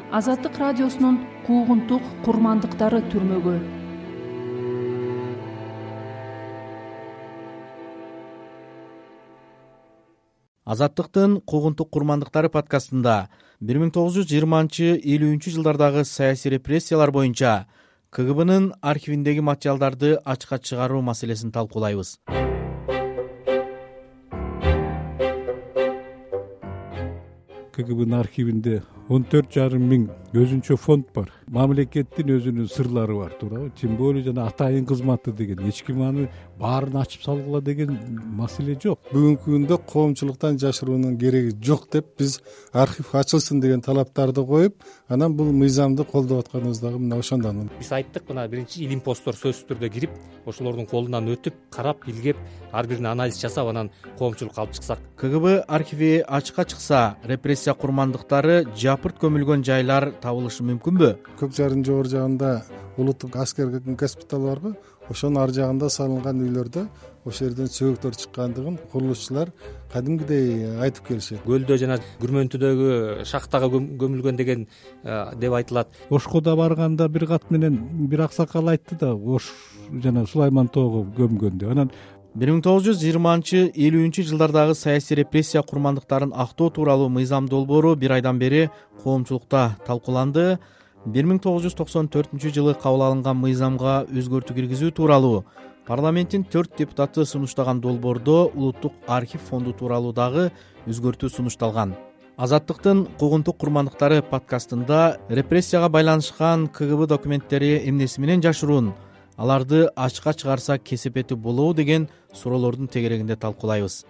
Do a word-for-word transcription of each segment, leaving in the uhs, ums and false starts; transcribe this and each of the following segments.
Азаттык радиосунун куугунтук курмандыктары түрмөгү. Азаттыктын куугунтук курмандыктары подкастында бир миң тогуз жүз жыйырманчы элүүнчү жылдардагы саясий репрессиялар боюнча ка гэ бнын архивиндеги материалдарды ачыкка чыгаруу маселесин талкуулайбыз. ка гэ бнын архивинде он төрт жарым миң өзүнчө фонд бар. Мамлекеттин өзүнүн сырлары бар, туурабы? Тем более жана атайын кызматы деген эч ким аны баарын ачып салгыла деген маселе жок. Бүгүнкү күндө коомчулуктан жашыруунун кереги жок деп биз архив ачылсын деген талаптарды коюп, анан бул мыйзамды колдоп атканыбыз дагы мына ошондон. Биз айттык, мына биринчи илимпоздор сөзсүз түрдө кирип, ошолордун колунан өтүп, карап, билгеп, ар бирин анализ жасап, анан коомчулукка алып чыксак. ка гэ бэ архиви ачыкка чыкса, репрессия курмандыктары жапырт көмүлгөн жайлар табылышы мүмкүнбү? Көк жарын жогору жагында улуттук аскер госпиталь барбы? Ошонун ар жагында салынган үйлөрдө ошол жерден сөөктөр чыккандыгын курулушчулар кадимгидей айтып келишет. Көлдө жана Күрмөнтүдөгү шахтага көмүлгөн деген деп айтылат. Ошко да барганда бир кат менен бир аксакал айтты да, Ош жана Сулайман тоого көмгөн деп. Анан бир миң тогуз жүз жыйырманчы элүүнчү жылдардагы саясий репрессия курмандыктарын актоо тууралуу мыйзам долбоору бир айдан бери коомчулукта талкууланды. бир миң тогуз жүз токсон төртүнчү жылы кабыл алынган мыйзамга өзгөртүү киргизүү тууралуу парламенттин төрт депутаты сунуштаган долбоордо улуттук архив фонду тууралуу дагы өзгөртүү сунушталган. Азаттыктын куугунтук курмандыктары подкастында репрессияга байланышкан ка гэ бэ документтери эмнеси менен жашыруун, аларды ачыкка чыгарса кесепети болобу деген суроолордун тегерегинде талкуулайбыз.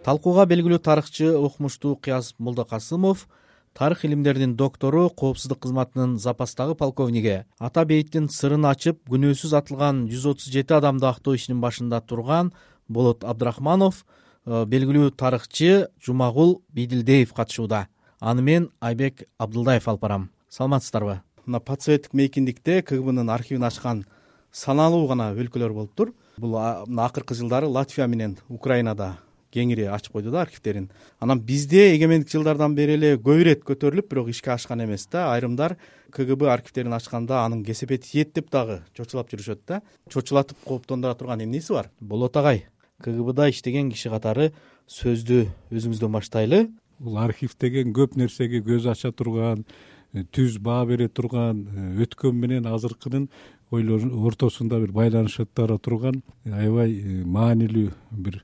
Талкууга белгилүү тарыхчы Окмуштуу Кыяз Молдокасымов, тарых илимдеринин доктору, коопсуздук кызматынын запастагы полковниги, Ата бейиттин сырын ачып күнөөсүз атылган жүз отуз жети адамды актоо ишинин башында турган Болот Абдрахманов, белгилүү тарыхчы Жумагул Бийдилдеев катышууда. Аны мен Айбек Абдылдаев алып барам. Саламатсыздарбы? Мына подсоветтик мейкиндикте ка гэ бнын архивин ачкан саналуу гана өлкөлөр болуптур. Бул акыркы жылдары Латвия менен Украинада кеңири ачып койду да архивтерин. Анан бизде эгемендик жылдардан бери эле көп ирет көтөрүлүп, бирок ишке ашкан эмес да. Айрымдар ка гэ бэ архивтерин ачканда анын кесепети тиет деп дагы чочулап жүрүшөт да. Чочулатып кооптондура турган эмнеси бар? Болот агай, ка гэ бда иштеген киши катары сөздү өзүңүздөн баштайлы. Бул архив деген көп нерсеге көз ача турган, түз баа бере турган, өткөн менен азыркынын ортосунда бир байланыштара турган аябай маанилүү бир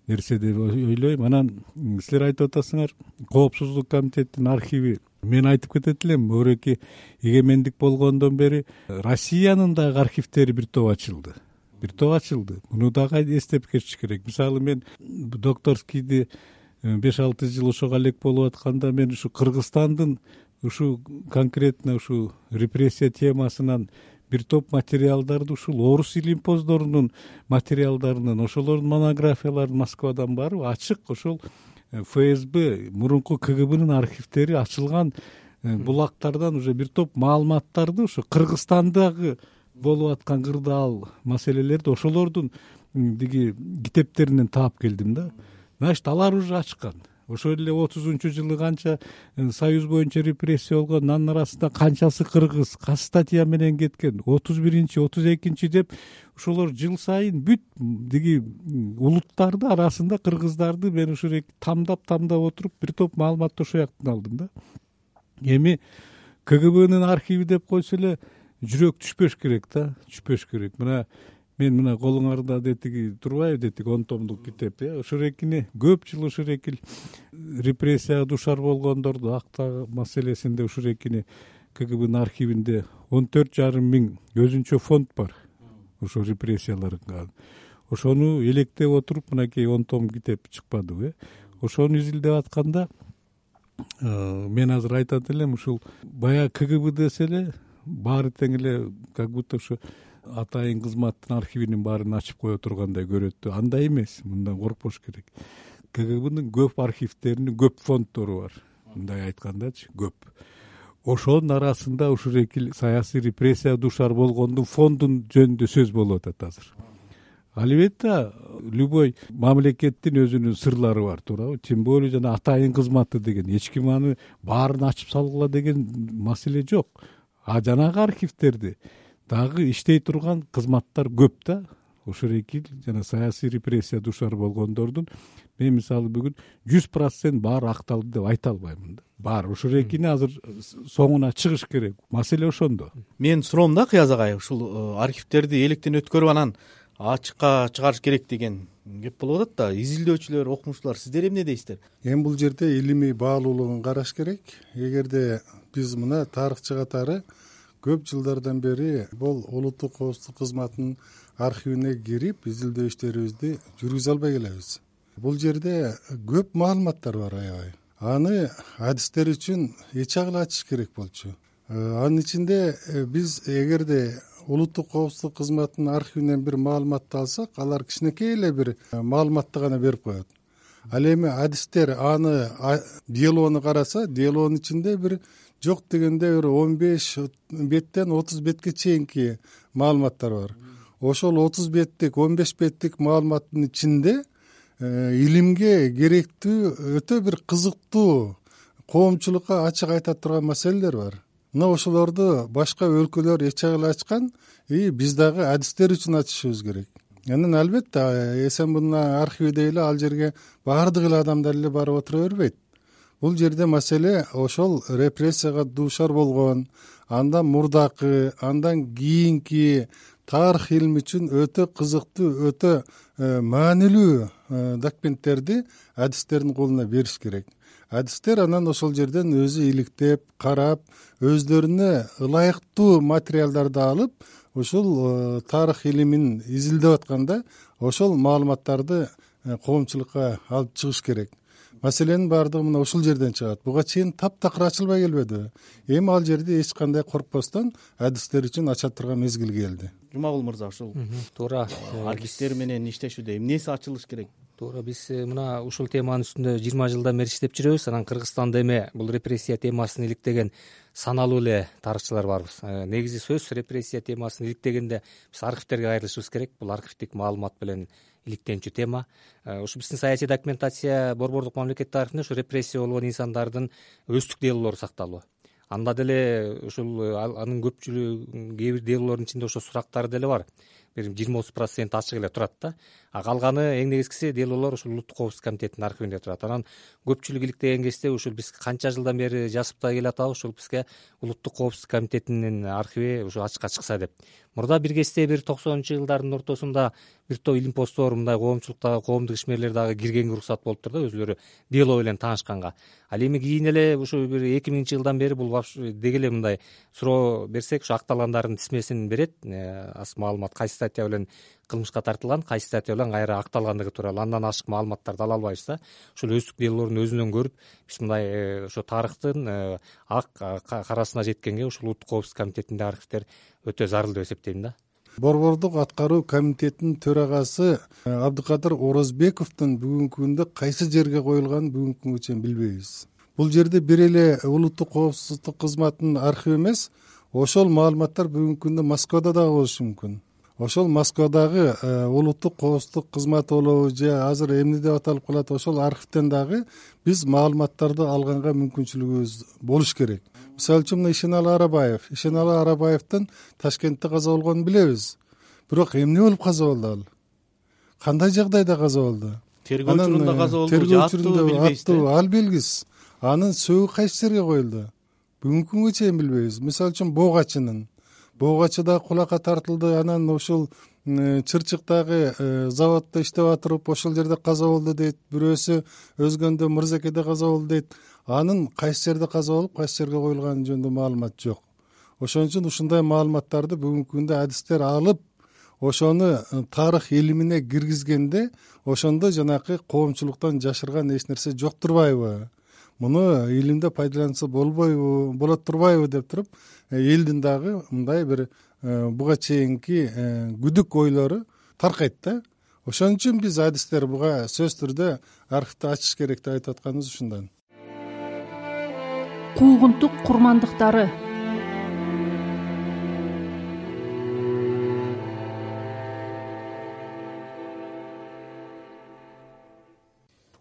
нерсе деп ойлойм. Анан силер айтып атасыңар, коопсуздук комитеттин архиви. Мен айтып кетет элем, мөреки эгемендик болгондон бери Россиянын дагы архивтери бир топ ачылды. Бир топ ачылды. Муну дагы эстеп кетиш керек. Мисалы, мен докторскийди беш алты жыл ошого элек болуп атканда, мен ушу Кыргызстандын ушу конкретно ушу репрессия темасынан бир топ материалдарды, ушул орус илимпоздорунун материалдарынын, ошолордун монографияларын Москвадан барып ачык ошол эф эс бэ мурунку ка гэ бнын архивтери ачылган булактардан уже бир топ маалыматтарды ушу Кыргызстандагы болуп аткан кырдаал маселелерди ошолордун диги китептеринен таап келдим да. Значит, алар уже ачкан. Ошол эле отузунчу жылы канча союз боюнча репрессия болгон, анын арасында канчасы кыргыз, кайсы статья менен кеткен, отуз биринчи, отуз экинчи деп ошолор жыл сайын бүт диги улуттарды арасында кыргыздарды мен ушул тамдап-тамдап отуруп бир топ маалыматты ошол жактан алдым да. Эми ка гэ бнын архиви деп койсо эле жүрөк түшпөш керек да, түшпөш керек. Мына мен мына колуңарда детиги турбайбы, детиги он томдук китеп, э ошол экини көп жыл ошол эки репрессияга душар болгондорду актоо маселесинде ошол экини ка гэ бнын архивинде он төрт жарым миң өзүнчө фонд бар. Ошол репрессияларга ошону электеп отуруп мынакей он том китеп чыкпадыбы, э ошону изилдеп атканда мен азыр айтат элем, ушул баягы ка гэ бэ десе эле баары тең эле как будто ушу атайын кызматтын архивинин баарын ачып кое тургандай көрөт. Андай эмес, мындан коркпош керек. ка гэ бнын көп архивтеринин көп фонддору бар. Мындай айткандачы, көп. Ошонун арасында ушул эки саясий репрессияга душар болгондун фондун жөнүндө сөз болуп атат азыр. албетте любой мамлекеттин өзүнүн сырлары бар, туурабы? Тем более жана атайын кызматы деген эч ким аны баарын ачып салгыла деген маселе жок. А жанагы архивтерди дагы иштей турган кызматтар көп да. Ошол эки жана саясий репрессия душар болгондордун мен мисалы бүгүн жүз процент баары акталды деп айта албаймын да. Баары ошол экини азыр соңуна чыгыш керек. Маселе ошондо. Мен суроом да, Кыяз агай, ушул архивтерди электен өткөрүп анан ачыкка чыгарыш керек деген кеп болуп атат да. Изилдөөчүлөр, окумуштуулар, сиздер эмне дейсиздер? Эми бул жерде илимий баалуулугун караш керек. Эгерде биз мына тарыхчы катары көп жылдардан бери бул улуттук коопсуздук кызматынын архивине кирип изилдөө иштерибизди жүргүзө албай келебиз. Бул жерде көп маалыматтар бар аябай. Аны адистер үчүн эч агыл ачыш керек болчу. Анын ичинде биз эгерде улуттук коопсуздук кызматынын архивинен бир маалыматты алсак, алар кичинекей эле бир маалыматты гана берип коет. Ал эми адистер аны делону караса, делонун ичинде бир жок дегенде бир он беш беттен отуз бетке чейинки маалыматтар бар. Ошол отуз беттик, он беш беттик маалыматтын ичинде илимге керектүү өтө бир кызыктуу, коомчулукка ачык айта турган маселелер бар. Мына ошолорду башка өлкөлөр эч агыл ачкан, и биз дагы адистер үчүн ачышыбыз керек. Анан албетте Эсенбунун архиви эле ал жерге баардык эле адамдар эле барып отура бербейт. Бул жерде маселе ошол репрессияга дуушар болгон, андан мурдакы, андан кийинки тарых илими үчүн өтө кызыктуу, өтө маанилүү документтерди адистердин колуна бериш керек. Адистер анан ошол жерден өзү иликтеп, карап, өздөрүнө ылайыктуу материалдарды алып, ушул тарых илимин изилдеп атканда ошол маалыматтарды коомчулукка алып чыгыш керек. Маселенин баардыгы мына ушул жерден чыгат. Буга чейин таптакыр ачылбай келбедиби? Эми ал жерде эч кандай коркпостон адистер үчүн ача турган мезгил келди. Жумагул мырза, ушул туура архивтер менен иштешүүдө эмнеси ачылыш керек? Туура, биз мына ушул теманын үстүндө жыйырма жылдан бери иштеп жүрөбүз. Анан Кыргызстанда эми бул репрессия темасын иликтеген саналуу эле тарыхчылар барбыз. Негизи сөз репрессия темасын иликтегенде биз архивтерге кайрылышыбыз керек. Бул архивдик маалымат менен иликтенчү тема. Ушу биздин саясий документация борбордук мамлекеттик архивинде ушу репрессия болгон инсандардын өздүк делолору сакталуу. Анда деле ушул анын көпчүлүгү кээ бир делолордун ичинде ошо сурактар деле бар. Бир жыйырма отуз процент ачык эле турат да. А калганы эң негизгиси делолор ушул улуттук коопсуздук комитетинин архивинде турат. Анан көпчүлүк иликтеген кезде ушул биз канча жылдан бери жазып да келатабыз, ушул бизге улуттук коопсуздук комитетинин архиви ушу ачыкка чыкса деп. Мурда бир кезде бир токсонунчу жылдардын ортосунда бир топ илимпоздор, мындай коомчулуктагы коомдук ишмерлер дагы киргенге уруксат болуптур да, өзүлөрү дело менен таанышканга. Ал эми кийин эле ушу бир эки миңинчи жылдан бери бул деги эле мындай суроо берсек, ушу акталгандардын тизмесин берет, аз маалымат кайсы статья менен кылмышка тартылган, кайсы статья менен кайра акталгандыгы тууралуу. Андан ашык маалыматтарды ала албайбыз да. Ушул өздүк делолорун өзүнөн көрүп, биз мындай ошо тарыхтын ак карасына жеткенге ушул улуттук коопсуздук комитетинде архивтер өтө зарыл деп эсептейм да. Борбордук аткаруу комитетинин төрагасы Абдыкадыр Орозбековдун бүгүнкү күндө кайсы жерге коюлганын бүгүнкү күнгө чейин билбейбиз. Бул жерде бир эле улуттук коопсуздук кызматынын архиви эмес, ошол маалыматтар бүгүнкү күндө Москвада дагы болушу мүмкүн. Ошол Москвадагы улуттук коопсуздук кызматы болобу же азыр эмне деп аталып калат, ошол архивден дагы биз маалыматтарды алганга мүмкүнчүлүгүбүз болуш керек. Мисалы үчүн Ишеналы Арабаев, Ишеналы Арабаевдин Ташкентте каза болгонун билебиз. Бирок эмне болуп каза болду ал? Кандай жагдайда каза болду? Тергөө учурунда каза болду же аттуу билбейсиз? Ал белгисиз. Анын сөөгү кайсы жерге коюлду? Бүгүнкү күнгө чейин билбейбиз. Мисалы үчүн Богачынын Богачы да кулакка тартылды, анан ушул Чырчыктагы заводдо иштеп атырып ошол жерде каза болду дейт. Бирөөсү Өзгөндө Мырзакеде каза болду дейт. Анын кайсы жерде каза болуп, кайсы жерге коюлганы жөнүндө маалымат жок. Ошон үчүн ушундай маалыматтарды бүгүнкү күндө адистер алып, ошону тарых илимине киргизгенде, ошондо жанакы коомчулуктан жашырган эч нерсе жок турбайбы? Муну илимде пайдаланса болбойбу, болот турбайбы деп туруп, элдин дагы мындай бир буга чейинки күдүк ойлору таркайт да. Ошон үчүн биз адистер буга сөз түрдө архивди ачыш керек деп айтып атканыбыз ушундан. Куугунтук курмандыктары.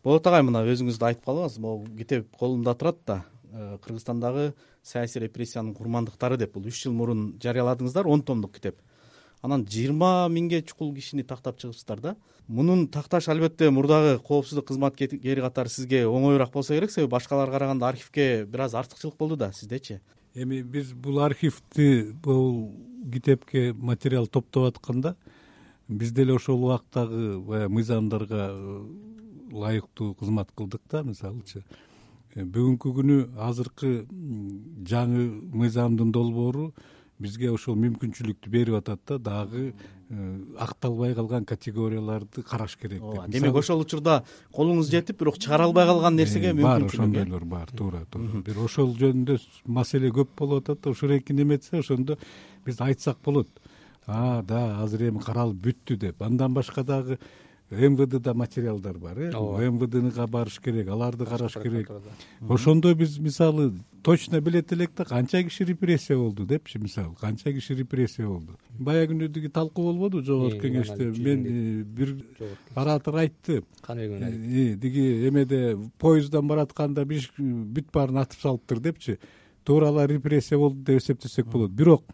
Болот агай, мына өзүңүз да айтып калдыңыз, могу китеп колумда турат да, Кыргызстандагы саясий репрессиянын курмандыктары деп. Бул үч жыл мурун жарыяладыңыздар, он томдук китеп. Анан жыйырма миңге чукул кишини тактап чыгыпсыздар да. Мунун такташ албетте мурдагы коопсуздук кызматкери катары сизге оңоюраак болсо керек, себеби башкаларга караганда архивке бир аз артыкчылык болду да. Сиздечи? Эми биз бул архивди, бул китепке материал топтоп атканда биз деле ошол убактагы баягы мыйзамдарга ылайыктуу кызмат кылдык да. Мисалычы бүгүнкү күнү азыркы жаңы мыйзамдын долбоору бизге ошол мүмкүнчүлүктү берип атат да, дагы акталбай калган категорияларды караш керек деп. Демек ошол учурда колуңуз жетип, бирок чыгара албай калган нерсеге мүмкүнчүлүк бар, ошондойлор бар. Туура туура. Бир ошол жөнүндө маселе көп болуп атат да, ошол эки неметсе ошондо биз айтсак болот. А, да, азыр эми каралып бүттү деп. Андан башка дагы эм вэ дда материалдар бар, э эм вэ днга барыш керек, аларды караш керек. Ошондо биз мисалы точно билет элек да, канча киши репрессия болду депчи, мисалы канча киши репрессия болду. Бая күнү талкуу болбоду жогорку кеңеште? Мен бир оратор айтты, диги эмеде поезддан баратканда бүт баарын атып салыптыр депчи. Тууралар репрессия болду деп эсептесек болот. Бирок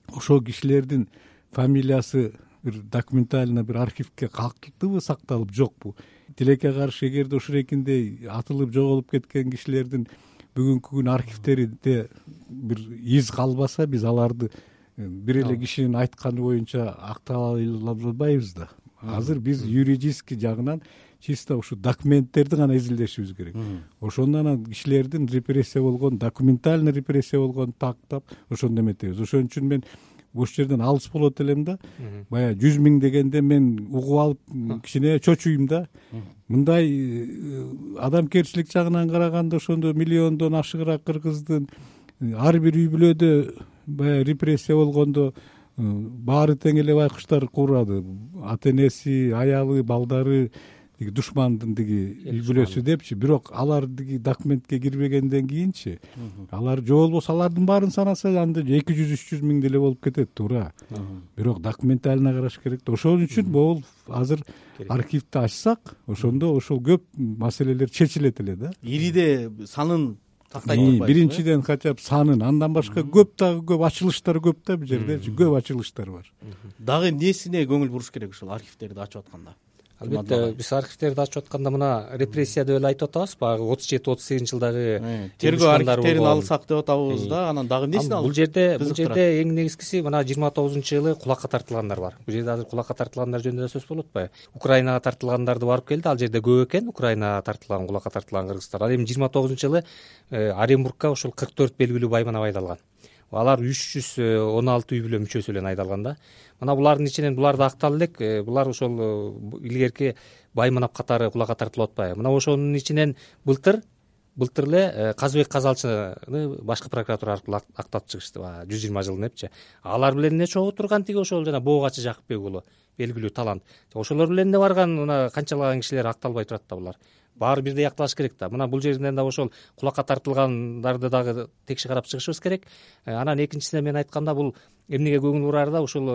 ошол кишилердин фамилиясы бир документально бир архивке калктыбы, сакталып, жокпу? Тилекке каршы эгерде ушурекиндей атылып жоголуп кеткен кишилердин бүгүнкү күн архивтеринде бир из калбаса, биз аларды бир эле кишинин айтканы боюнча актала албайбыз да. Азыр биз юридический жагынан чисто ушу документтерди гана изилдешибиз керек. Ошондон анан кишилердин репрессия болгон, документально репрессия болгонун тактап, ошондо эметебиз. Ошон үчүн мен ошол жерден алыс болот элем да. Баягы жүз миң дегенде мен угуп алып кичине чочуйм да. Мындай адамкерчилик жагынан караганда ошондо миллиондон ашыгыраак кыргыздын ар бир үй бүлөдө баягы репрессия болгондо баары тең эле байкуштар куурады. Ата энеси, аялы, балдары, диги душмандын диги үй бүлөсү депчи. Бирок алар диги документке кирбегенден кийинчи, алар же болбосо алардын баарын санаса анда эки жүз үч жүз миң деле болуп кетет, туура. Бирок документально караш керек да. Ошон үчүн могул азыр архивди ачсак, ошондо ошол көп маселелер чечилет эле да. Ириде санын тактай турбайбыз. Биринчиден хотя бы санын, андан башка көп дагы көп ачылыштар көп да, бул жердечи көп ачылыштар бар. Дагы эмнесине көңүл буруш керек ушул архивтерди ачып атканда? Албетте биз архивтерди ачып атканда мына репрессия деп эле айтып атабыз, баягы отуз жети отуз сегизинчи жылдагы тергөө архивтерин алсак деп атабыз да. Анан дагы эмнесин алып? Бул жерде бул жерде эң негизгиси мына жыйырма тогузунчу жылы кулакка тартылгандар бар. Бул жерде азыр кулакка тартылгандар жөнүндө да сөз болуп атпайбы? Украинага тартылгандарды барып келди, ал жерде көп экен Украинага тартылган, кулакка тартылган кыргыздар. Ал эми жыйырма тогузунчу жылы Оренбургка ошол кырк төрт белгилүү байманап айдалган. Алар үч жүз он алты үй бүлө мүчөсү эле айдалган да. Мына булардын ичинен булар да актал элек, булар ошол илгерки байманап катары кулакка тартылып атпайбы? Мына ошонун ичинен былтыр былтыр эле Казыбек Казалчыны башкы прокуратура аркылуу актап чыгышты, жүз жыйырма жылын депчи. Алар билен эмне чогуу турган тиги ошол жана Боогачы Жакыпбек уулу, белгилүү талант. Ошолор билен эмне барган, мына канчалаган кишилер акталбай турат да булар. Баары бирдей акталыш керек да. Мына бул жеринен да ошол кулакка тартылгандарды дагы текши карап чыгышыбыз керек. Анан экинчисине мен айтканда бул эмнеге көңүл бурар да, ушул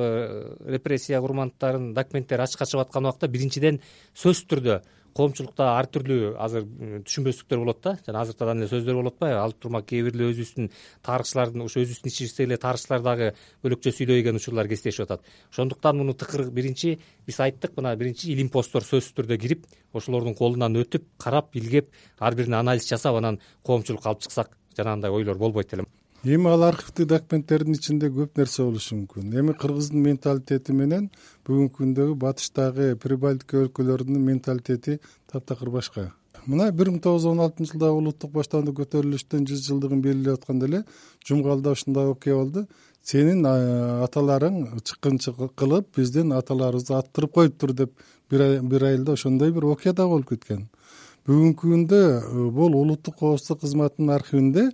репрессия курмандыктарынын документтери ачыкка чыгып аткан убакта биринчиден сөзсүз түрдө коомчулукта ар түрлүү азыр түшүнбөстүктөр болот да, жана азыртадан эле сөздөр болуп атпайбы? Алып турма кээ бир эле өзүбүздүн тарыхчылардын, ошо өзүбүздүн ичибизде эле тарыхчылар дагы бөлөкчө сүйлөгөн учурлар кездешип атат. Ошондуктан муну тыкыр биринчи биз айттык, мына биринчи илимпосттор сөзсүз түрдө кирип, ошолордун колунан өтүп, карап, илгеп, ар бирине анализ жасап, анан коомчулукка алып чыксак, жанагындай ойлор болбойт элем. Эми ал архивдик документтердин ичинде көп нерсе болушу мүмкүн. Эми кыргыздын менталитети менен бүгүнкү күндөгү батыштагы Прибалтика өлкөлөрүнүн менталитети таптакыр башка. Мына бир миң тогуз жүз он алтынчы жылдагы улуттук баштаандык көтөрүлүштүн жүз жылдыгын белгилеп атканда эле Жумгалда ушундай окуя болду. Сенин аталарың чыккынчы кылып, биздин аталарыбызды аттырып коюптур деп бир айылда ошондой бир окуя да болуп кеткен. Бүгүнкү күндө бул улуттук коопсуздук кызматынын архивинде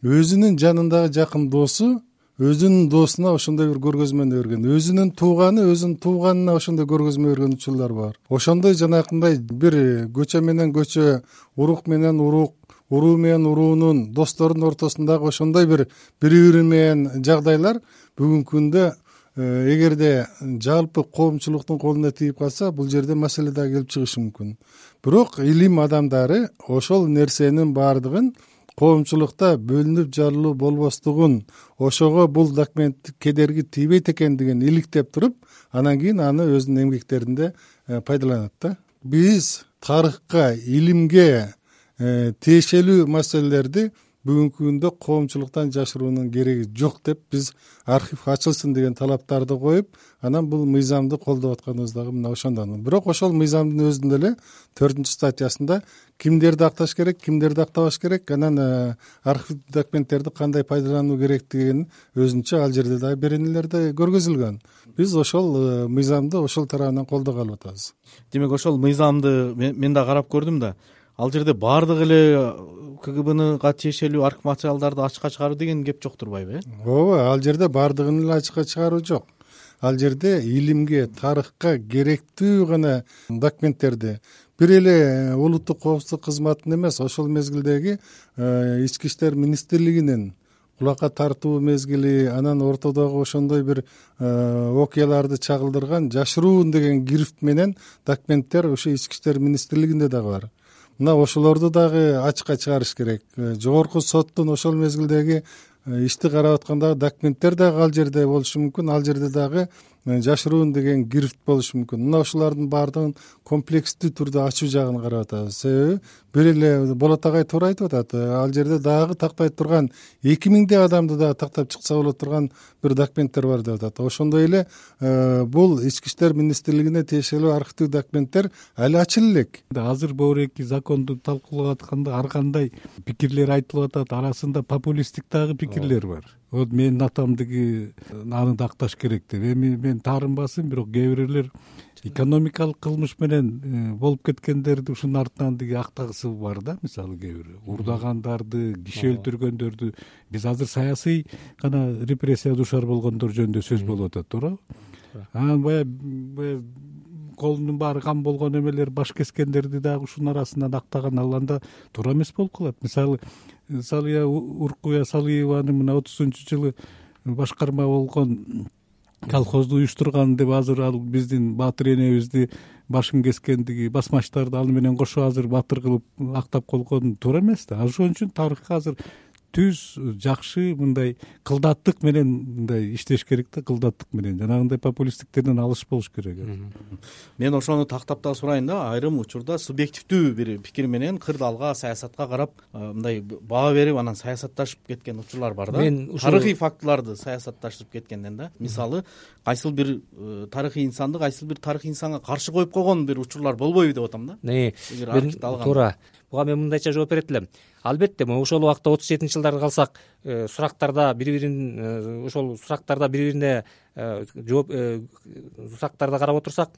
өзүнүн жанындагы жакын досу өзүнүн досуна ошондой бир көргөзмөнү берген, өзүнүн тууганы өзүнүн тууганына ошондой көргөзмө берген учурлар бар. Ошондой жанакындай бир көчө менен көчө, урук менен урук, уруу менен уруунун, достордун ортосундагы ошондой бир бири-бири менен жагдайлар бүгүнкү күндө эгерде жалпы коомчулуктун колуна тийип калса, бул жерде маселе да келип чыгышы мүмкүн. Бирок илим адамдары ошол нерсенин баардыгын коомчулукта бөлүнүп жарылуу болбостугун, ошого бул документ кедерги тийбейт экендигин иликтеп туруп, анан кийин аны өзүнүн эмгектеринде пайдаланат да. Биз тарыхка, илимге тиешелүү маселелерди бүгүнкү күндө коомчулуктан жашыруунун кереги жок деп, биз архив ачылсын деген талаптарды коюп, анан бул мыйзамды колдоп атканыбыз дагы мына ошондон. Бирок ошол мыйзамдын өзүндө эле төртүнчү статьясында кимдерди акташ керек, кимдерди актабаш керек, анан архив документтерди кандай пайдалануу керектигин өзүнчө ал жерде дагы беренелерде көргөзүлгөн. Биз ошол мыйзамды ошол тарабынан колдогон атабыз. Демек ошол мыйзамды мен да карап көрдүм да, ал жерде баардык эле КГБнга тиешелүү архив материалдарды ачыкка чыгаруу деген кеп жок турбайбы? э Ооба, ал жерде баардыгын эле ачыкка чыгаруу жок. Ал жерде илимге, тарыхка керектүү гана документтерди, бир эле улуттук коопсуздук кызматынын эмес, ошол мезгилдеги ички иштер министрлигинин кулакка тартуу мезгили, анан ортодогу ошондой бир окуяларды чагылдырган жашыруун деген грифт менен документтер ошо ички иштер министрлигинде дагы бар. Мына ошолорду дагы ачыкка чыгарыш керек. Жогорку соттун ошол мезгилдеги ишти карап аткандагы документтер дагы ал жерде болушу мүмкүн, ал жерде дагы жашыруун деген грифт болушу мүмкүн. Мына ошолордун баардыгын комплекстүү түрдө ачуу жагын карап атабыз. Себеби бир эле Болот агай туура айтып атат, ал жерде дагы тактай турган эки миңдей адамды дагы тактап чыкса болот турган бир документтер бар деп атат. Ошондой эле бул ички иштер министрлигине тиешелүү архивдик документтер али ачыла элек. Азыр бөөрөки законду талкуулап атканда ар кандай пикирлер айтылып атат, арасында популисттик дагы пикирлер бар. Вот менин атамдыгы аны да акташ керек деп. Эми мен таарынбасын, бирок кээ бирлер экономикалык кылмыш менен болуп кеткендерди ушунун артынан деги актагысы бар да. Мисалы кээ бир урдагандарды, киши өлтүргөндөрдү, биз азыр саясий гана репрессияга дуушар болгондор жөнүндө сөз болуп атат, туура. Анан баягы колунун баары кам болгон эмелер, баш кескендерди дагы ушунун арасынан актаган, ал анда туура эмес болуп калат. Мисалы Салия Уркуя Салиеваны мына отузунчу жылы башкарма болгон колхозду уюштурган деп азыр ал биздин Баатыр энебизди башын кескендиги басмачтарды аны менен кошо азыр баатыр кылып актап койгон туура эмес да. Ошон үчүн тарыхка азыр түз жакшы мындай кылдаттык менен мындай иштеш керек да, кылдаттык менен жанагындай популисттиктерден алыс болуш керек. Мен ошону тактап да сурайын да, айрым учурда субъективдүү бир пикир менен кырдаалга, саясатка карап мындай баа берип анан саясатташып кеткен учурлар бар да. Тарыхый фактыларды саясатташып кеткенден да. Мисалы кайсыл бир тарыхый инсанды кайсыл бир тарыхый инсанга каршы коюп койгон бир учурлар болбойбу деп атам да. Мен туура. Буга мен мындайча жооп берет элем. Албетте, ошол убакта отуз жетинчи жылдарга калсак, сурактарда бири-бирин ошол сурактарда бири-бирине жооп сурактарда карап отурсак,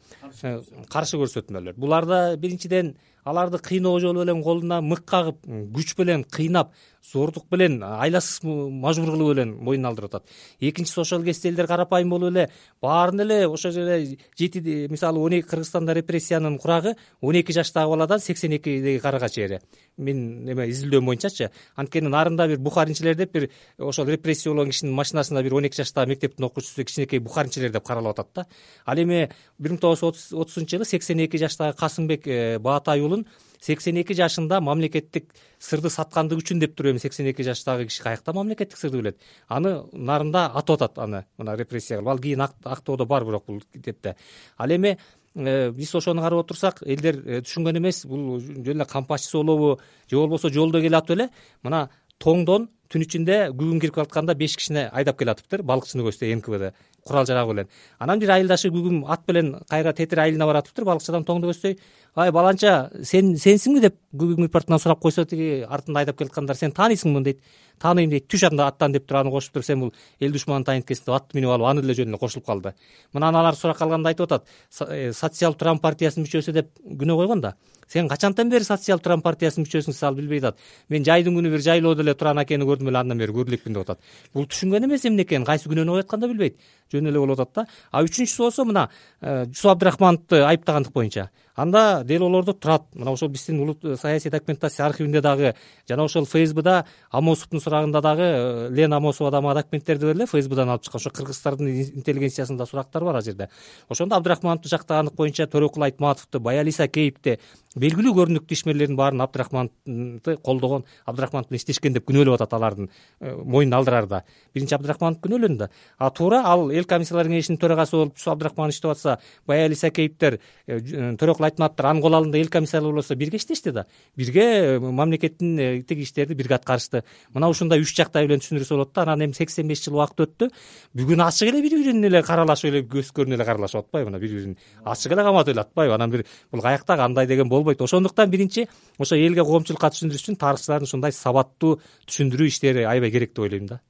каршы көрсөтмөлөр. Буларда биринчиден аларды кыйноо жолу менен колуна мык кагып, күч менен кыйнап, зордук менен, айласыз мажбур кылуу менен моюнун алдырып атат. Экинчиси, ошол кезде элдер карапайым болуп эле баарын эле ошол жерде жети, мисалы он эки Кыргызстанда репрессиянын курагы он эки жаштагы баладан сексен экидеги карыга чейин. Мен эме изилдөөм боюнчачы, анткени нарында бир бухаринчилер деп бир ошол репрессия болгон кишинин машинасында бир он эки жаштагы мектептин окуучусу кичинекей бухаринчилер деп каралып атат да. Ал эми бир миң тогуз жүз отузунчу жылы сексен эки жаштагы Касымбек Баатай уулун сексен эки жашында мамлекеттик сырды саткандыгы үчүн деп туруп, эми сексен эки жаштагы киши каякта мамлекеттик сырды билет. Аны нарында атып атат, аны мына репрессия кылып. Ал кийин актоодо бар бирок бул депте. Ал эми биз ошону карап отурсак, элдер түшүнгөн эмес, бул жөн эле кампачысы болобу, же болбосо жолдо келатып эле мына тоңдон түн ичинде күгүн кирип калатканда беш кишини айдап келатыптыр, балыкчыны көздөй эн ка бэ курал жарагы менен. Анан бир айылдашы күгүн ат менен кайра тетир айылына баратыптыр, балыкчыдан тоңду көздөй: "Ай баланча, сен сенсиңби?" деп күгүн партынан сурап койсо, тиги артында айдап келаткандар: "Сен тааныйсыңбы?" дейт. "Тааныйм" дейт. "Түш анда аттан" деп туруп аны кошуп туруп, "Сен бул эл душманын тайынткесиң" деп атты минип алып, аны деле жөн эле кошулуп калды. Мына аналар сурак калганда айтып атат: "Социал Турам партиясынын мүчөсү" деп күнөө койгон да. "Сен качантан бери Социал Турам партиясынын мүчөсүң?" Ал билбей атат. "Мен жайдын күнү бир жайлоодо эле Туран акени көрдүм эле, андан бери көрө элекмин" деп атат. Бул түшүнгөн эмес эмне экенин, кайсы күнөөнү коюп атканда билбейт. Жөн эле болуп атат да. А үчүнчүсү болсо мына Жусуп Абдрахмановду айыптагандык боюнча. Анда учурда делолордо турат. Мына ошол биздин улут саясий документация архивинде дагы жана ошол фейсбукда Амосовдун сурагында дагы Лена Амосова дагы документтерди бар эле фейсбукдан алып чыккан. Ошо кыргыздардын интеллигенциясында сурактар бар ал жерде. Ошондо Абдрахмановду жактаганлык боюнча Төрөкул Айтматовду, Баялиса Кейипти, белгилүү көрүнүктүү ишмерлердин баарын Абдрахмановду колдогон, Абдрахманов менен иштешкен деп күнөөлөп атат алардын моюнун алдырарда. Биринчи Абдрахманов күнөөлөндү. А туура ал эл комиссиялар кеңешинин төрагасы болуп Абдрахманов иштеп атса, Баялиса Кейиптер, Төрөкул Айтматовдор анын кол алдында эл комиссиялары болсо бирге иштешти да. Бирге мамлекеттин тиги иштерди бирге аткарышты. Мына ушундай үч жактай менен түшүндүрсө болот да. Анан эми сексен беш жыл убакыт өттү. Бүгүн ачык эле бири-бирин эле каралашып эле көз көрүнө эле каралашып атпайбы? Мына бири-бирин ачык эле каматып эле атпайбы? Анан бир бул каякта кандай деген болбойт. Ошондуктан биринчи ошо элге, коомчулукка түшүндүрүш үчүн тарыхчылардын ушундай сабаттуу түшүндүрүү иштери аябай керек деп ойлойм да.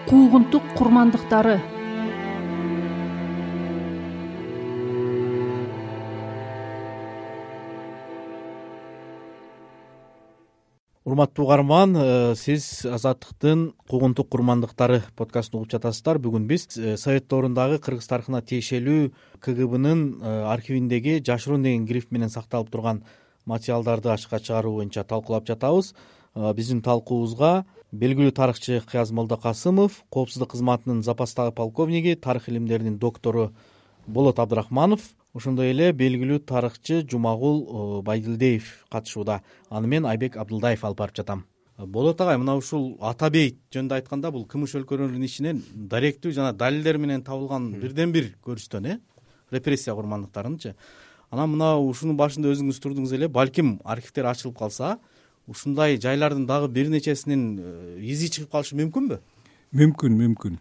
Куугунтук курмандыктары. Урматтуу угарман, сиз Азаттыктын Куугунтук курмандыктары подкастын угуп жатасыздар. Бүгүн биз Совет доорундагы кыргыз тарыхына тиешелүү КГБнын архивиндеги жашыруун деген гриф менен сакталып турган материалдарды ачыкка чыгаруу боюнча талкуулап жатабыз. Биздин талкуубузга белгилүү тарыхчы Кыяз Молдокасымов, коопсуздук кызматынын запастагы полковниги, тарых илимдеринин доктору Болот Абдрахманов, ошондой эле белгилүү тарыхчы Жумагул Байдилдиев катышууда. Аны мен Айбек Абдылдаев алып барып жатам. Болот агай, мына ушул Ата бейит жөнүндө айтканда, бул кымыш өлкөлөрүнүн ичинен даректүү жана далилдер менен табылган бирден бир көрүстөн, э репрессия курмандыктарынчы. Анан мына ушунун башында өзүңүз турдуңуз эле, балким архивдер ачылып калса, ушундай жайлардын дагы бир нечесинин изи чыгып калышы мүмкүнбү? Мүмкүн, мүмкүн.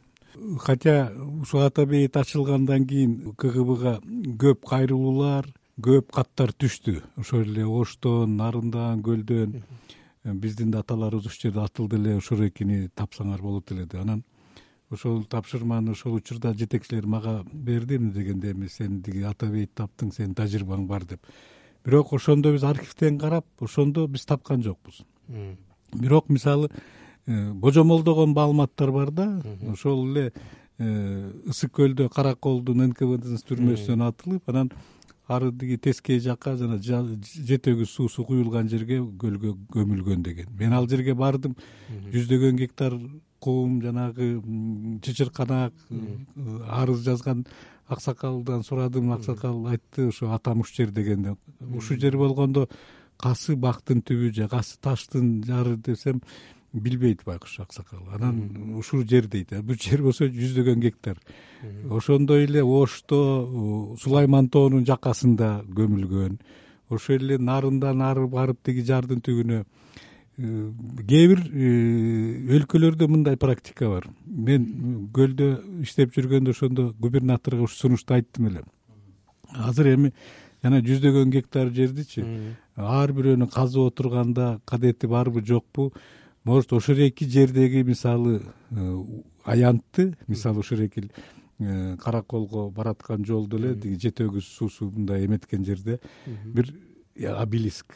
Хотя ушул Ата бейит ачылгандан кийин КГБга көп кайрылуулар, көп каттар түштү. Ошол эле Оштон, Нарындан, Көлдөн биздин да аталарыбыз ушул жерде атылды эле, ошол экини тапсаңар болот эле деп. Анан ошол тапшырманы ошол учурда жетекчилер мага берди, эмне дегенде эми сен тиги Ата бейит таптың, сен тажрыйбаң бар деп. Бирок ошондо биз архивден карап, ошондо биз тапкан жокпуз. Бирок мисалы божомолдогон маалыматтар бар да, ошол эле Ысык көлдө Караколдун эн ка вэ дин түрмөсүнөн атылып, анан ары тиги Тескей жакка жана жетөгүз суусу куюлган жерге көлгө көмүлгөн деген. Мен ал жерге бардым, жүздөгөн гектар кум, жанагы чычырканак, арыз жазган аксакалдан сурадым, аксакал айтты ошо атам ушул жер дегенде. Ушул жер болгондо касы бактын түбү же касы таштын жары десем билбейт байкуш аксакал. Анан ушул жер дейт. Бул жер болсо жүздөгөн гектар. Ошондой эле Ошто, Сулайман тоонун жакасында көмүлгөн. Ошол эле Нарындан ары барып тиги жардын түбүнө. Кээ бир өлкөлөрдө мындай практика бар. Мен көлдө иштеп жүргөндө ошондо губернаторго ушу сунушту айттым эле. Азыр эми жана жүздөгөн гектар жердичи ар бирөөнү казып отурганда кадети барбы жокпу? Может, ошол эки жердеги мисалы аянтты, мисалы ошол эки Караколго бараткан жолдо эле тиги жетөгүз суусу мындай эметкен жерде бир обелиск,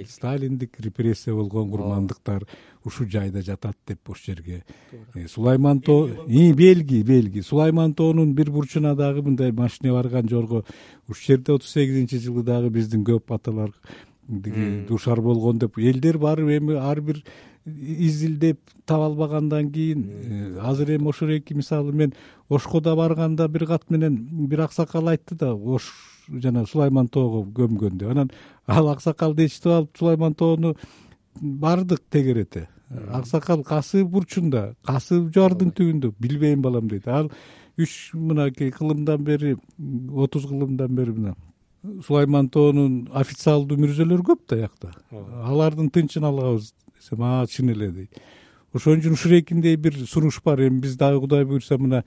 сталиндик репрессия болгон курмандыктар ушул жайда жатат деп ошол жерге. Сулайман тоо, белги, белги. Сулайман тоонун бир бурчуна дагы мындай машине барган жорго ушул жерде отуз сегизинчи жылы дагы биздин көп аталар тиги душар болгон деп элдер барып эми ар бир изилдеп таба албагандан кийин азыр эми ошол эки мисалы мен Ошко да барганда бир кат менен бир аксакал айтты да, Ош жана Сулайман тоого көмгөн деп. Анан ал аксакалды ичтип алып Сулайман тоону бардык тегерете. Аксакал касы бурчунда, касы жардын түбүндө, билбейм балам дейт. Ал үч мынакей кылымдан бери, отуз кылымдан бери мына Сулайман тоонун официалдуу мүрзөлөр көп да якта. Алардын тынчын алабыз десем, а чын эле дейт. Ошон үчүн Шурекиндей бир сунуш бар. Эми биз дагы Кудай буйрса мына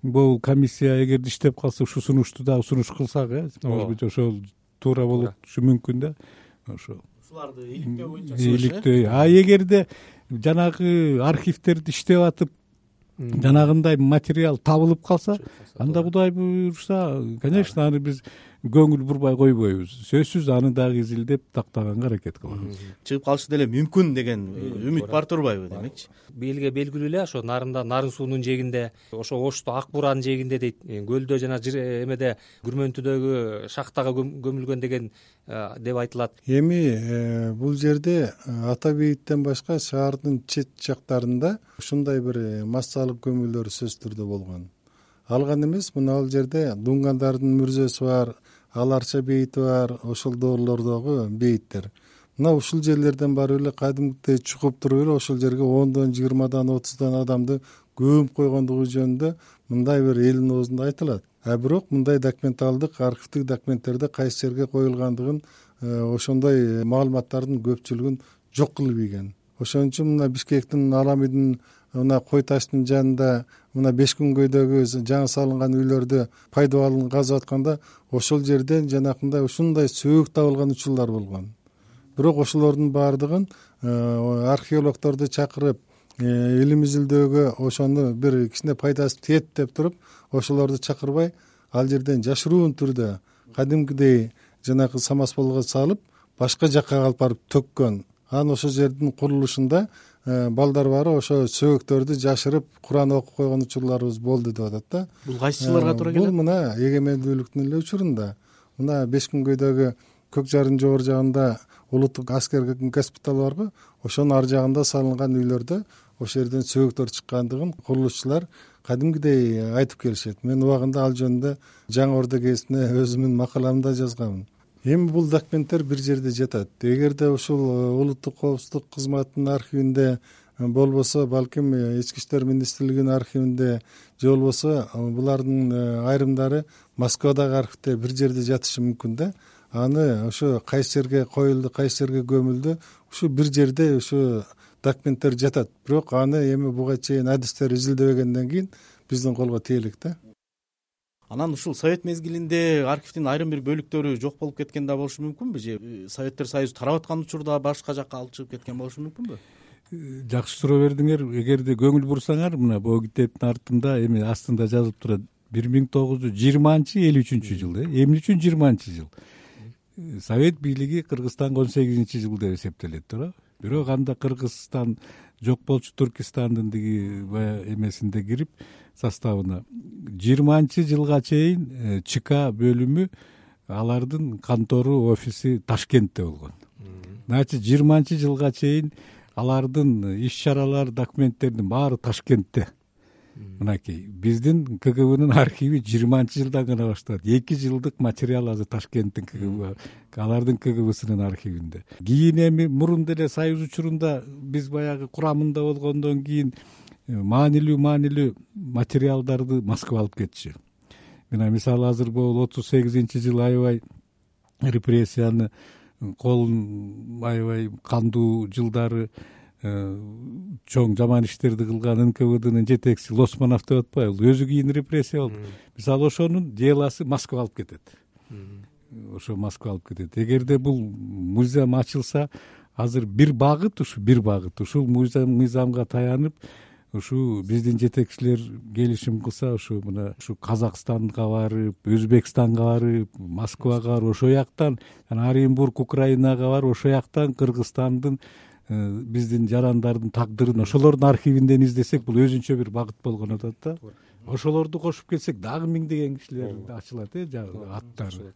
бул комиссия эгерде иштеп калса ушу сунушту дагы сунуш кылсак, э, может быть ошол туура болушу мүмкүн да. Ошо ушуларды иликтөө боюнча иликтөө. А эгерде жанагы архивдерди иштеп атып жанагындай материал табылып калса, анда Кудай буйрса, конечно, аны биз көңүл бурбай койбойбуз. Сөзсүз аны дагы изилдеп тактаганга аракет кылабыз. Чыгып калышы деле мүмкүн деген үмүт бар турбайбы демекчи? Элге белгилүү эле ошо нарында, нарын суунун жээгинде, ошо Ошто Ак Буранын жээгинде дейт, көлдө жана эмеде Күрмөнтүдөгү шахтага көмүлгөн деген деп айтылат. Эми бул жерде Ата бейиттен башка шаардын чет жактарында ушундай бир массалык көмүүлөр сөзсүз түрдө болгон. Ал гана эмес, мына ал жерде дунгандардын мүрзөсү бар, Аларча бейити бар, ошол доорлордогу бейиттер. Мына ушул жерлерден барып эле кадимкидей чукуп туруп эле ошол жерге ондон, жыйырмадан, отуздан адамды көмүп койгондугу жөнүндө мындай бир элдин оозунда айтылат. А бирок мындай документалдык, архивдик документтерде кайсы жерге коюлгандыгын, ошондой маалыматтардын көпчүлүгүн жок кылып ийген. Ошон үчүн мына Бишкектин Аламидин мына Кой таштын жанында мына Бешкүнгөйдөгү жаңы салынган үйлөрдү пайдабалын казып атканда ошол жерден жанакындай ушундай сөөк табылган учурлар болгон. Бирок ошолордун баардыгын археологдорду чакырып, илим изилдөөгө ошону бир кичине пайдасы тиет деп туруп, ошолорду чакырбай, ал жерден жашыруун түрдө кадимкидей жанагы самосвалга салып, башка жакка алып барып төккөн. Анан ошол жердин курулушунда балдар бары ошо сөөктөрдү жашырып, Куран окуп койгон учурларыбыз болду деп атат да. Бул кайсы жылдарга туура келет? Бул мына эгемендүүлүктүн эле учурунда. Мына Бешкүнгөйдөгү Көк Жарын жогору жагында улуттук аскер госпитал барбы? Ошонун ар жагында салынган үйлөрдө ошол жерден сөөктөр чыккандыгын курулушчулар кадимкидей айтып келишет. Мен убагында ал жөнүндө Жаңы Орда гезитине өзүмдүн макаламда жазганмын. Эми бул документтер бир жерде жатат. Эгерде ушул улуттук коопсуздук кызматынын архивинде болбосо, балким Ички иштер министрлигинин архивинде же болбосо булардын айрымдары Москвадагы архивде бир жерде жатышы мүмкүн да. Аны ошо кайсы жерге коюлду, кайсы жерге көмүлдү, ушу бир жерде ушу документтер жатат. Бирок аны эми буга чейин адистер изилдебегенден кийин биздин колго тие элек да. Анан ушул совет мезгилинде архивдин айрым бир бөлүктөрү жок болуп кеткен да болушу мүмкүнбү? Же Советтер Союзу тарап аткан учурда башка жакка алып чыгып кеткен болушу мүмкүнбү? Жакшы суроо бердиңер. Эгерде көңүл бурсаңар, мына бул китептин артында эми астында жазылып турат бир миң тогуз жүз жыйырманчы элүү үчүнчү жыл. Эмне үчүн жыйырманчы жыл? Совет бийлиги Кыргызстанга он сегизинчи жыл деп эсептелет туура. Бирок анда Кыргызстан жок болчу, Түркистандын диги бая эмесинде кирип составына жыйырманчы жылга чейин ЧК бөлүмү алардын контору, офиси Ташкентте болгон. Значит, жыйырманчы жылга чейин алардын иш чаралар, документтердин баары Ташкентте. Мынакей биздин КГБнын архиви жыйырманчы жылдан гана башталат. эки жылдык материал азыр Ташкенттин КГБ, алардын КГБсынын архивинде. Кийин эми мурун деле Союз учурунда биз баягы курамында болгондон кийин маанилүү маанилүү материалдарды Москва алып кетчү. Мына мисалы азыр бул отуз сегизинчи жыл аябай репрессияны колун аябай кандуу жылдары чоң жаман иштерди кылган эн ка вэ дынын жетекчиси Лосманов деп атпайбы, өзү кийин репрессия болду. Мисалы ошонун делосы Москва алып кетет. Ошо Москва алып кетет. Эгерде бул мыйзам ачылса, азыр бир багыт, ушу бир багыт, ушул мыйзамга таянып, ушу биздин жетекчилер келишим кылса, ушу мына ушу Казакстанга барып, Өзбекстанга барып, Москвага барып, ошол жактан Оренбург, Украинага барып, ошол жактан Кыргызстандын биздин жарандардын тагдырын ошолордун архивинден издесек, бул өзүнчө бир багыт болгон атат да. Ошолорду кошуп кетсек, дагы миңдеген кишилер ачылат, э, аттары.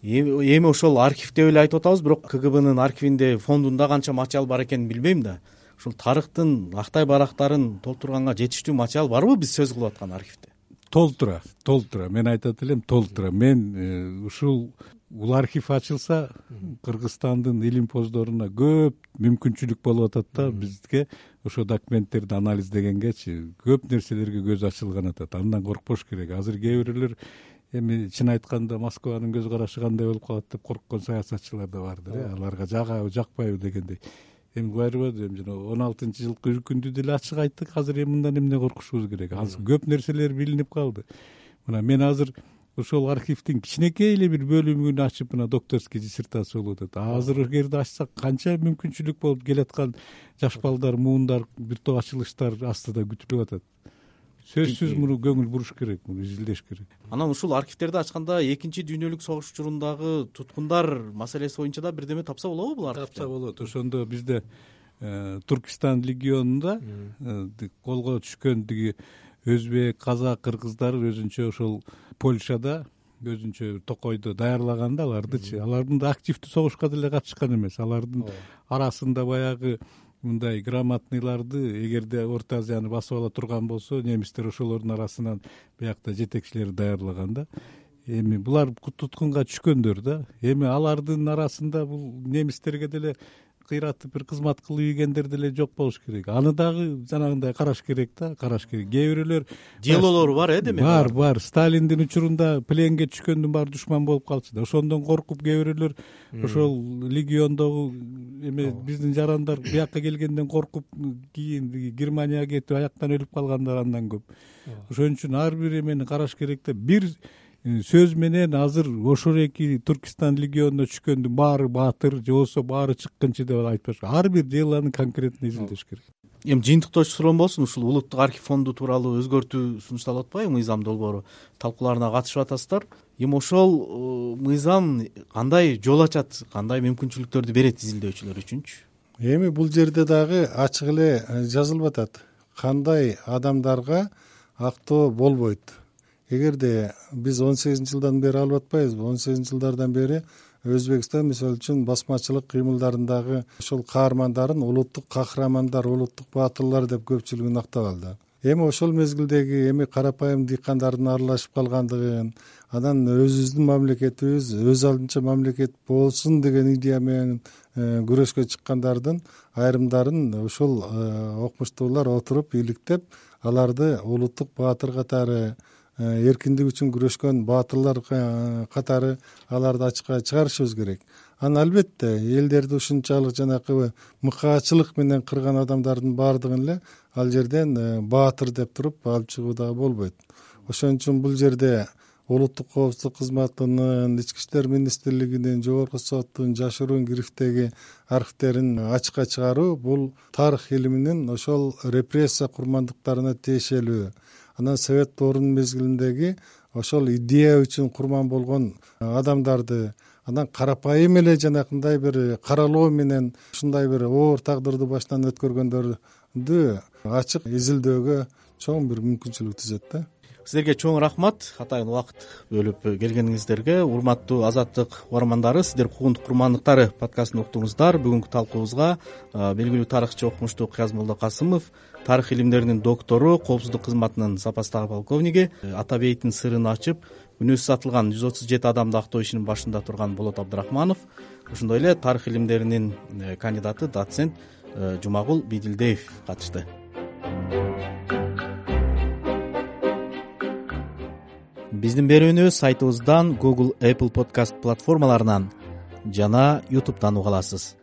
Эми ошол архив деп эле айтып атабыз, бирок КГБнын архивинде, фондунда канча материал бар экенин билбейм да. Ушул тарыхтын актай барактарын толтурганга жетиштүү материал барбы биз сөз кылып аткан архивде? Толтура, толтура. Мен айтат элем, толтура. Мен ушул бул архив ачылса, Кыргызстандын илим-поздоруна көп мүмкүнчүлүк болуп атат да, бизге ошо документтерди анализдегенгечи көп нерселерге көз ачылган атат. Андан коркпош керек. Азыр кээ бирлер эми чын айтканда Москванын көз карашы кандай болуп калат деп корккон саясатчылар да бардыр, э, аларга жагабы, жакпайбы дегендей. Эми байрбады, эми жана он алтынчы жылкы үркүндү деле ачык айттык. Азыр эми мындан эмне коркушубуз керек? Азыр көп нерселер билинип калды. Мына мен азыр ошол архивдин кичинекей эле бир бөлүмүн ачып, мына докторский диссертация болуп атат. Азыр эгерде ачсак, канча мүмкүнчүлүк болуп келаткан жаш балдар, муундар, бир топ ачылыштар астыда күтүлүп атат. сөзсүз муну көңүл буруш керек, муну изилдеш керек. Анан ушул архивтерди ачканда экинчи дүйнөлүк согуш учурундагы туткундар маселеси боюнча да бирдеме тапса болобу бул архивде? Тапса болот. Ошондо бизде Туркистан легионунда колго түшкөн тиги өзбек, казак, кыргыздар өзүнчө ошол Польшада өзүнчө токойдо даярлаган да алардычы. Алардын да активдүү согушка деле катышкан эмес. Алардын арасында баягы мындай грамотныйларды, эгерде Орто Азияны басып ала турган болсо, немистер ошолордун арасынан биякта жетекчилерди даярлаган да. Эми булар туткунга түшкөндөр да. Эми алардын арасында бул немистерге деле кыйратып бир кызмат кылып ийгендер деле жок болуш керек. Аны дагы жанагындай караш керек да, караш керек. Кээ бирөөлөр делолору бар э демек. Бар, бар. Сталиндин учурунда пленге түшкөндүн баары душман болуп калчу да. Ошондон коркуп кээ бирөөлөр ошол легиондогу эме биздин жарандар биякка келгенден коркуп кийин Германияга кетип аяктан өлүп калгандар андан көп. Ошон үчүн ар бир эмени караш керек да. Бир сөз менен азыр ошол эки Туркистан легионуна түшкөндүн баары баатыр же болбосо баары чыккынчы деп айтпаш. Ар бир делоны конкретно изилдеш керек. Эми жыйынтыктоочу суроом болсун, ушул улуттук архив фонду тууралуу өзгөртүү сунушталып атпайбы мыйзам долбоору? Талкууларына катышып атасыздар. Эми ошол мыйзам кандай жол ачат, кандай мүмкүнчүлүктөрдү берет изилдөөчүлөр үчүнчү? Эми бул жерде дагы ачык эле жазылып атат. Кандай адамдарга актоо болбойт. Эгерде биз он сегизинчи жылдан бери алып атпайбызбы? он сегизинчи жылдардан бери Өзбекстан мисалы үчүн басмачылык кыймылдарындагы ошол каармандарын улуттук кахрамандар, улуттук баатырлар деп көпчүлүгүн актап алды. Эми ошол мезгилдеги эми карапайым дыйкандардын аралашып калгандыгын, анан өзүбүздүн мамлекетибиз өз алдынча мамлекет болсун деген идея менен күрөшкө чыккандардын айрымдарын ошол окумуштуулар отуруп иликтеп, аларды улуттук баатыр катары, эркиндик үчүн күрөшкөн баатырлар катары аларды ачыкка чыгарышыбыз керек. Анан албетте элдерди ушунчалык жанакы мыкаачылык менен кырган адамдардын баардыгын эле ал жерден баатыр деп туруп алып чыгуу дагы болбойт. Ошон үчүн бул жерде улуттук коопсуздук кызматынын, ички иштер министрлигинин, жогорку соттун жашыруун грифтеги архивтерин ачыкка чыгаруу бул тарых илиминин ошол репрессия курмандыктарына тиешелүү. Анан Совет доорунун мезгилиндеги ошол идея үчүн курман болгон адамдарды, анан карапайым эле жанакындай бир каралоо менен ушундай бир оор тагдырды башынан өткөргөндөрдү ачык изилдөөгө чоң бир мүмкүнчүлүк түзөт да. Сиздерге чоң рахмат, атайын убакыт бөлүп келгениңиздерге. Урматтуу Азаттык угармандары, сиздер Куугундук курмандыктары подкастын уктуңуздар. Бүгүнкү талкуубузга белгилүү тарыхчы окумуштуу Кыязмолдо Касымов, тарых илимдеринин доктору, коопсуздук кызматынын запастагы полковниги, Ата бейиттин сырын ачып, күнөөсүз атылган жүз отуз жети адамды актоо ишинин башында турган Болот Абдрахманов, ошондой эле тарых илимдеринин кандидаты, доцент Жумагул Бидилдеев катышты. Биздин берүүнү сайтыбыздан, Google, Apple подкаст платформаларынан жана YouTube'дан уга аласыз.